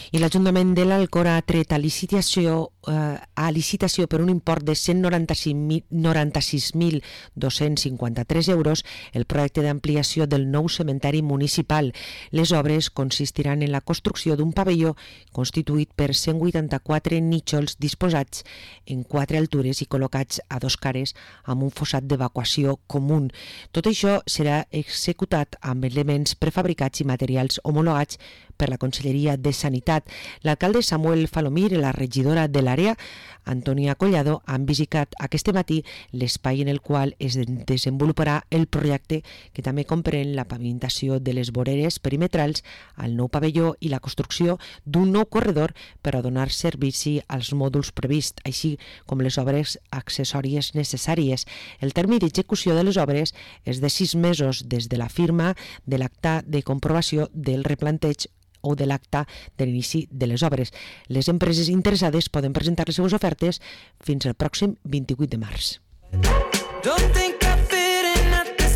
I l'Ajuntament de l'Alcora ha tret a licitació per un import de 196.253 euros el projecte d'ampliació del nou cementeri municipal. Les obres consistiran en la construcció d'un pavelló constituït per 184 nínxols disposats en 4 altures i col·locats a 2 cares amb un fossat d'evacuació comú. Tot això serà executat amb elements prefabricats i materials homologats per la Conselleria de Sanitat. L'alcalde Samuel Falomir i la regidora de l'àrea, Antònia Collado, han visitat aquest matí l'espai en el qual es desenvoluparà el projecte, que també comprèn la pavimentació de les voreres perimetrals al nou pavelló i la construcció d'un nou corredor per a donar servici als mòduls prevists, així com les obres accessòries necessàries. El termini d'execució de les obres és de 6 mesos des de la firma de l'acta de comprovació del replanteig o de l'acte de l'inici de les obres. Les empreses interessades poden presentar les seves ofertes fins al pròxim 28 de març.